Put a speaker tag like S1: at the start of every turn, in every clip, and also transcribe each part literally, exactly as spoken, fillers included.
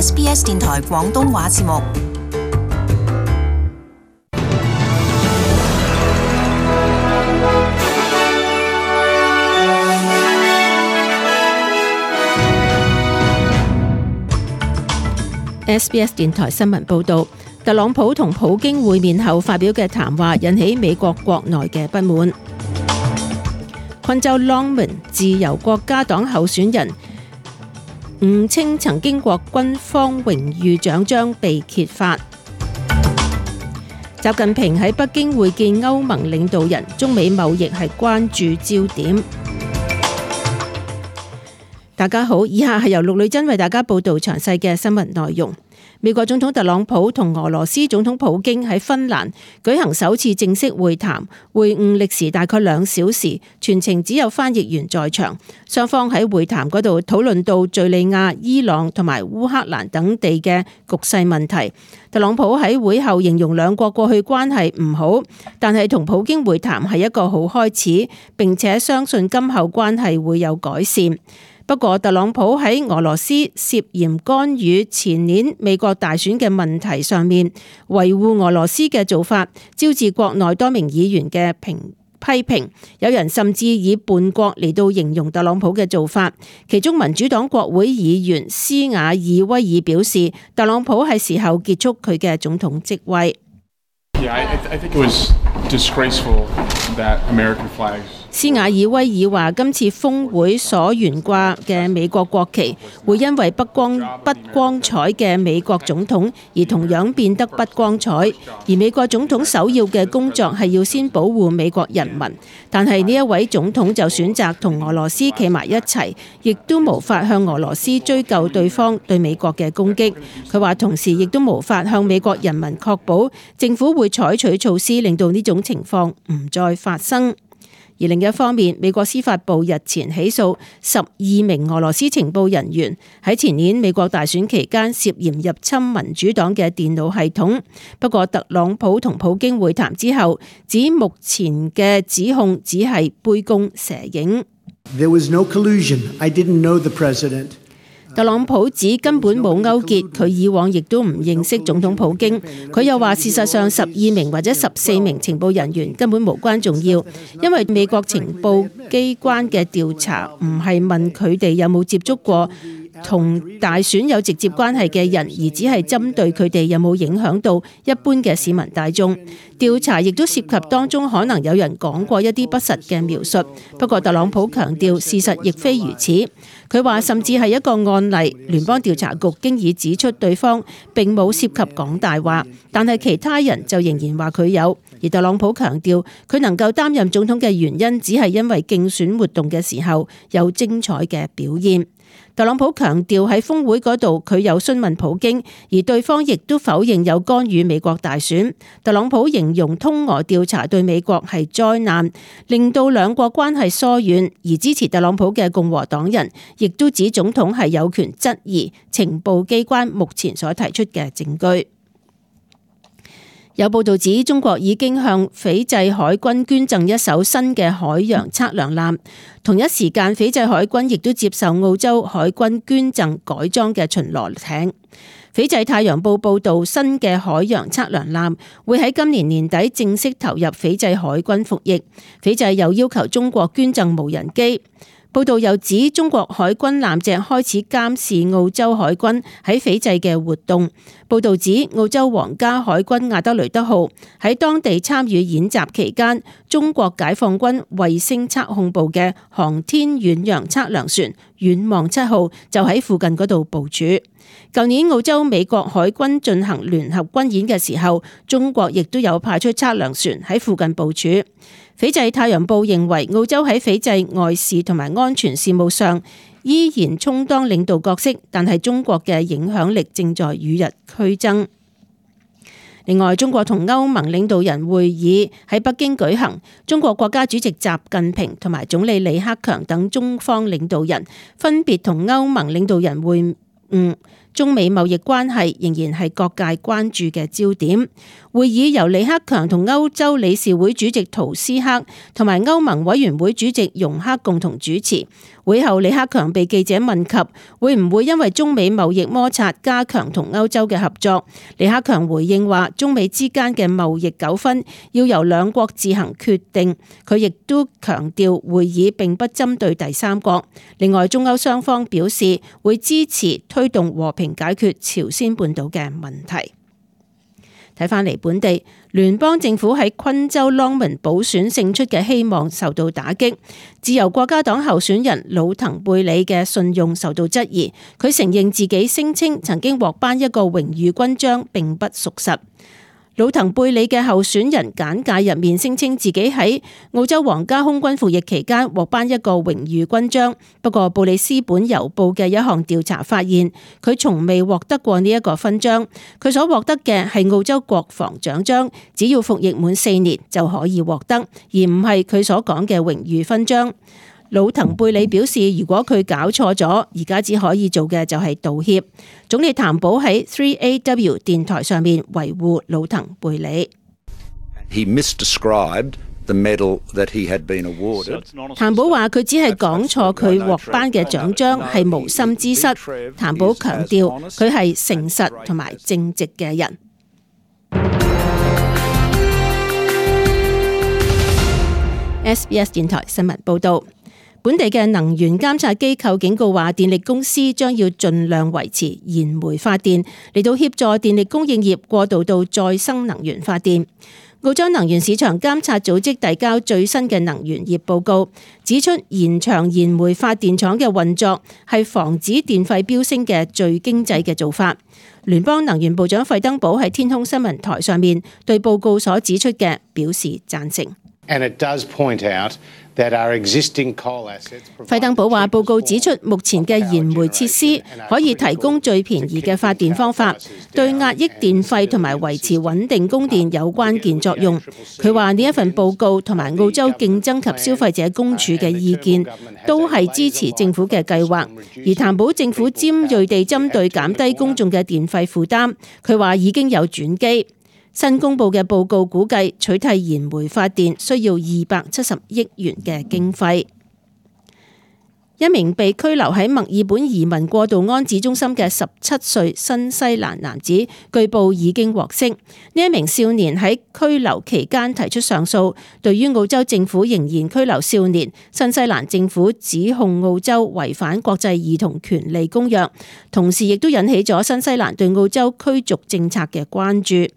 S1: S B S 電台廣東話節目。
S2: S B S 電台新聞報導，特朗普同普京會面後發表嘅談話引起美國國內嘅不滿。昆州 Longman 自由國家黨候選人誤稱曾經獲軍方榮譽獎章被揭發。習近平喺北京會見歐盟領導人，中美貿易係關注焦點。大家好，以下係由陸女珍為大家報道詳細嘅新聞內容。美國總統特朗普同俄羅斯總統普京喺芬蘭舉行首次正式會談，會晤歷時大概兩小時，全程只有翻譯員在場。雙方喺會談嗰度討論到敘利亞、伊朗同埋烏克蘭等地嘅局勢問題。特朗普喺會後形容兩國過去關係唔好，但係同普京會談係一個好開始，並且相信今後關係會有改善。不過，特朗普喺俄羅斯涉嫌干預前年美國大選嘅問題上面，維護俄羅斯嘅做法，招致國內多名議員嘅評批評。有人甚至以叛國嚟到形容特朗普嘅做法。其中民主黨國會議員斯瓦爾威爾表示，特朗普係時候結束佢嘅總統職位。
S3: Yeah, I, I think it was disgraceful that American flags.
S2: 斯瓦爾威爾話：今次峰會所懸掛嘅美國國旗，會因為不光不光彩嘅美國總統而同樣變得不光彩。而美國總統首要嘅工作係要先保護美國人民，但係呢一位總統就選擇同俄羅斯企埋一齊，亦都無法向俄羅斯追究對方對美國嘅攻擊。佢話同時亦都無法向美國人民確保政府會採取措施令到呢種情況唔再發生。而另一方面，美國司法部日前起訴十二名俄羅斯情報人員喺前年美國大選期間涉嫌入侵民主黨嘅電腦系統。不過，特朗普同普京會談之後，指目前嘅指控只係杯弓蛇影。
S4: There was no collusion. I didn't know the president.
S2: 特朗普指根本冇勾結，佢以往亦都唔認識總統普京。佢又話事實上十二名或者十四名情報人員根本無關重要，因為美國情報機關嘅調查唔係問佢哋有冇接觸過同大選有直接關係嘅人，而只係針對佢哋有冇影響到一般嘅市民大眾。調查亦都涉及當中可能有人講過一啲不實嘅描述。不過特朗普強調事實亦非如此。佢話甚至係一個案例，聯邦調查局經已指出對方並冇涉及講大話，但係其他人就仍然話佢有。而特朗普強調佢能夠擔任總統嘅原因，只係因為競選活動嘅時候有精彩嘅表現。特朗普強調喺峰會嗰度佢有詢問普京，而對方亦都否認有干預美國大選。特朗普形容通俄調查對美國係災難，令到兩國關係疏遠。而支持特朗普嘅共和黨人亦都指總統係有權質疑情報機關目前所提出嘅證據。有報道指，中國已經向斐濟海軍捐贈一艘新嘅海洋測量艦。同一時間，斐濟海軍亦都接受澳洲海軍捐贈改裝嘅巡邏艇。斐濟太陽報報道，新嘅海洋測量艦會喺今年年底正式投入斐濟海軍服役。斐濟又要求中國捐贈無人機。報道又指，中國海軍艦隻開始監視澳洲海軍喺斐濟嘅活動。報道指，澳洲皇家海軍阿德雷德號喺當地參與演習期間，中國解放軍衛星測控部嘅航天遠洋測量船遠望七號就喺附近嗰度部署。舊年澳洲美國海軍進行聯合軍演嘅時候，中國亦都有派出測量船喺附近部署。斐濟太陽報認為，澳洲喺斐濟外事同埋安全事務上依然充當領導角色，但係中國嘅影響力正在與日俱增。另外，中國同歐盟領導人會議喺北京舉行，中國國家主席習近平同埋總理李克強等中方領導人分別同歐盟領導人會晤。中美貿易關係仍然係各界關注嘅焦點。會議由李克強同歐洲理事會主席圖斯克同埋歐盟委員會主席容克共同主持。會後，李克強被記者問及會唔會因為中美貿易摩擦加強同歐洲嘅合作，李克強回應話：中美之間嘅貿易糾紛要由兩國自行決定。佢亦都強調會議並不針對第三國。另外，中歐雙方表示會支持推動和平解決朝鮮半島嘅問題。睇返嚟本地，聯邦政府喺昆州朗文補選勝出嘅希望受到打擊，自由國家黨候選人魯騰貝里嘅信用受到質疑，佢承認自己聲稱曾經獲頒一個榮譽勳章並不屬實。魯騰貝里嘅候選人簡介入面聲稱自己喺澳洲皇家空軍服役期間獲頒一個榮譽勳章，不過布里斯本郵報嘅一項調查發現，佢從未獲得過呢一個勳章，佢所獲得嘅係澳洲國防獎章，只要服役滿四年就可以獲得，而唔係佢所講嘅榮譽勳章。魯騰貝里表示，如果佢搞錯咗，而家只可以做嘅就係道歉。總理譚寶喺 三 A W 電台上面維護魯騰貝里。
S5: He misdescribed the medal that he had been awarded.
S2: 譚寶話佢只係講錯佢獲頒嘅獎章係無心之失。譚寶強調佢係誠實同埋正直嘅人。S B S 電台新聞報道。本地嘅能源監察機構警告話，電力公司將要盡量維持燃煤發電，嚟到協助電力供應業過渡到再生能源發電。澳洲能源市場監察組織遞交最新嘅能源業報告，指出延長燃煤發電廠嘅運作係防止電費飆升嘅最經濟嘅做法。聯邦能源部長費登堡喺天空新聞台上面對報告所指出嘅表示贊成。
S6: And it does point out that our existing coal assets.
S2: 費登堡話：報告指出，目前嘅燃煤設施可以提供最便宜嘅發電方法，對壓抑電費同埋維持穩定供電有關鍵作用。佢話呢一份報告同埋澳洲競爭及消費者公署嘅意見都係支持政府嘅計劃，而擔保政府尖銳地針對減低公眾嘅電費負擔。佢話已經有轉機。新公布嘅報告估計取替燃煤發電需要二百七十億元嘅經費。一名被拘留喺墨爾本移民過渡安置中心嘅十七歲新西蘭男子，據報已經獲釋。呢一名少年喺拘留期間提出上訴，對於澳洲政府仍然拘留少年，新西蘭政府指控澳洲違反國際兒童權利公約，同時亦都引起咗新西蘭對澳洲驅逐政策嘅關注。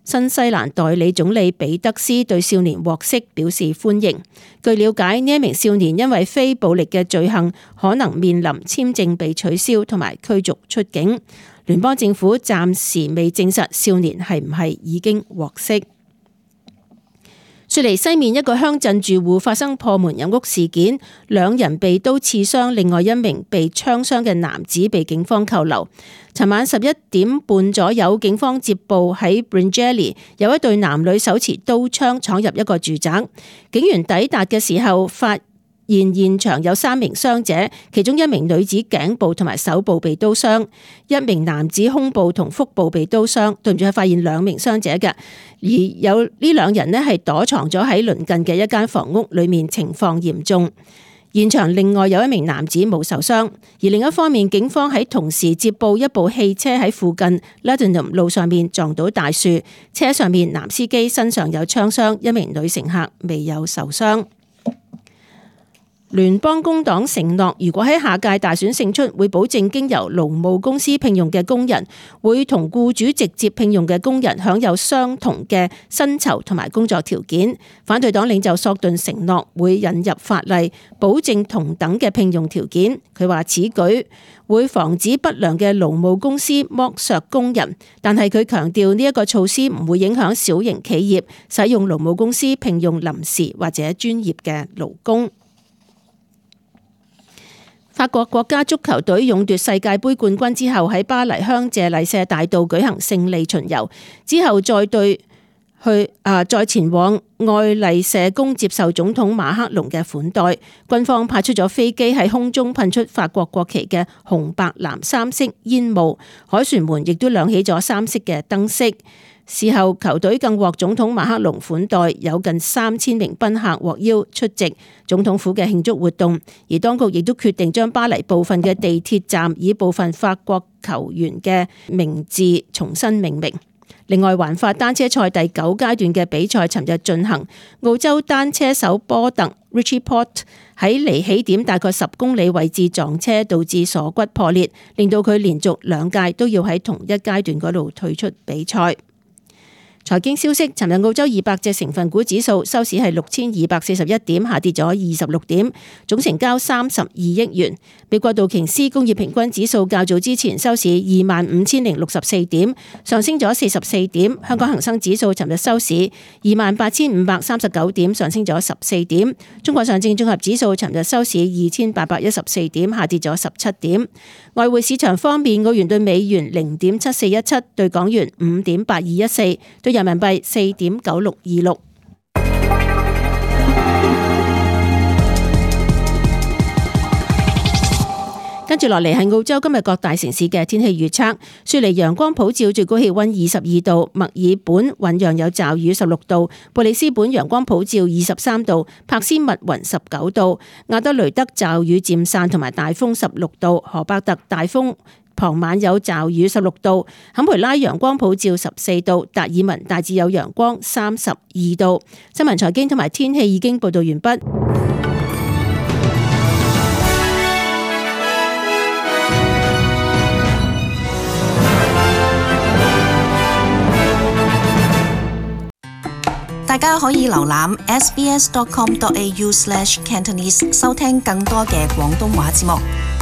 S2: 新西蘭代理總理比德斯對少年獲釋表示歡迎。據了解，呢一名少年因為非暴力嘅罪行，可能面臨簽證被取消同埋驅逐出境。聯邦政府暫時未證實少年係唔係已經獲釋。雪梨西面一個鄉鎮住戶發生破門入屋事件，兩人被刀刺傷，另外一名被槍傷嘅男子被警方扣留。尋晚十一點半左右，警方接報喺 Bringelly 有一對男女手持刀槍闖入一個住宅，警員抵達嘅時候發現現場有三名傷者，其中一名女子頸部同埋手部被刀傷，一名男子胸部同腹部被刀傷，對唔住係發現兩名傷者嘅，而有呢兩人呢係躲藏咗喺鄰近嘅一間房屋裏面，情況嚴重。現場另外有一名男子冇受傷，而另一方面，警方喺同時接報一部汽車喺附近 Luddenham 路上面撞到大樹，車上面男司機身上有槍傷，一名女乘客未有受傷。聯邦工黨承諾，如果喺下屆大選勝出，會保證經由勞務公司聘用嘅工人會同僱主直接聘用嘅工人享有相同嘅薪酬同埋工作條件。反對黨領袖索頓承諾會引入法例，保證同等嘅聘用條件。佢話此舉會防止不良嘅勞務公司剝削工人，但係佢強調呢一個措施唔會影響小型企業使用勞務公司聘用臨時或者專業嘅勞工。法國國家足球隊勇奪世界盃冠軍之後，喺巴黎香榭麗舍大道舉行勝利巡遊，之後再對去啊，再前往愛麗舍宮接受總統馬克龍嘅款待。軍方派出咗飛機喺空中噴出法國國旗嘅紅白藍三色煙霧，凱旋門亦都亮起咗三色嘅燈飾。事後球隊更獲總統馬克龍款待，有近三千名賓客獲邀出席總統府嘅慶祝活動，而當局亦都決定將巴黎部分嘅地鐵站以部分法國球員嘅名字重新命名。另外，環法單車賽第九階段嘅比賽尋日進行，澳洲單車手波特 Richie Porte 喺離起點大概十公里位置撞車，導致鎖骨破裂，令到佢連續兩屆都要喺同一階段嗰度退出比賽。財經消息，尋日澳洲二百隻成分股指數收市係六千二百四十一點，下跌咗二十六點，總成交三十二億元。美國道瓊斯工業平均指數較早之前收市二萬五千零六十四點，上升咗四十四點。香港恒生指數尋日收市二萬八千五百三十九點，上升咗十四點。中國上證綜合指數尋日收市二千八百一十四點，下跌咗十七點。外匯市場方面，澳元對美元零點七四一七，對港元五點八二一四，對人民幣四點九六二六。跟住落嚟係澳洲今日各大城市嘅天氣預測。雪梨陽光普照，最高氣溫二十二度；墨爾本醞釀有驟雨十六度；布里斯本陽光普照二十三度；珀斯密雲十九度；亞德雷德驟雨漸散同埋大風十六度；荷伯特大風傍晚有驟雨十六度；坎培拉陽光普照十四度；達爾文大致有陽光三十二度。新聞財經同埋天氣已經報道完畢。
S1: 大家可以瀏覽 s b s dot com dot a u slash cantonese 收聽更多嘅廣東話節目。